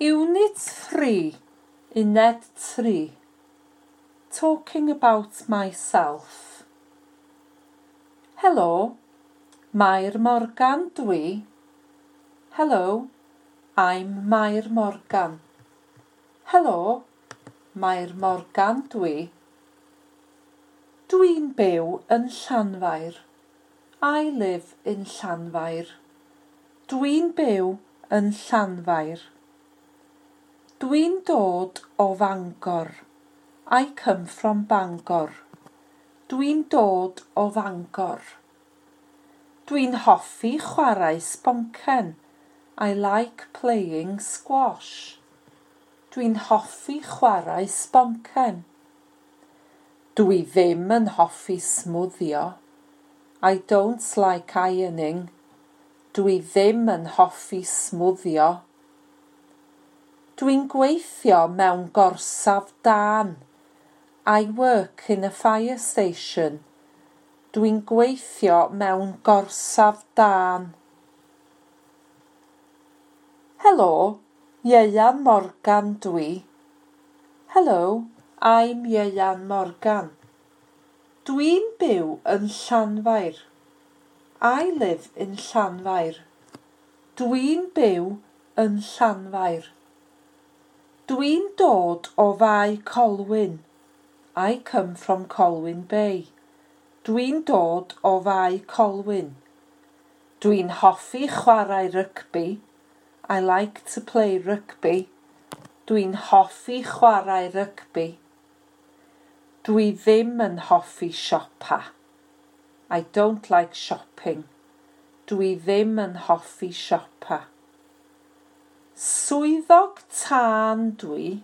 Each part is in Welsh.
Unit 3, Uned 3. Talking about myself. Helo, Mair Morgan dwi. Hello, I'm Mair Morgan. Helo, Mair Morgan dwi. Dwi'n byw yn Llanfair. I live in Llanfair. Dwi'n byw yn Llanfair. Dwi'n dod o Fangor. I come from Bangor. Dwi'n dod o Fangor. Dwi'n hoffi chwarae sboncen. I like playing squash. Dwi'n hoffi chwarae sboncen. Dwi ddim yn hoffi smwddio. I don't like ironing. Dwi ddim yn hoffi smwddio. Dwi'n gweithio mewn gorsaf dân. I work in a fire station. Dwi'n gweithio mewn gorsaf dân. Helo, Ieuan Morgan dwi. Hello, I'm Ieuan Morgan. Dwi'n byw yn Llanfair. I live in Llanfair. Dwi'n byw yn Llanfair. Dwi'n dod o Fae Colwyn. I come from Colwyn Bay. Dwi'n dod o Fae Colwyn. Dwi'n hoffi chwarae rygbi. I like to play rugby. Dwi'n hoffi chwarae rygbi. Dwi ddim yn hoffi siopa. I don't like shopping. Dwi ddim yn hoffi siopa. Swyddog tân dwi.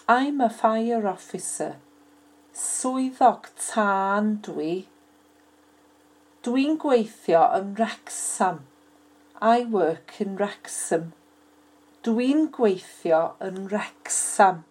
I'm a fire officer. Swyddog tân dwi. Dwi'n gweithio yn Wrexham. I work in Wrexham. Dwi'n gweithio yn Wrexham.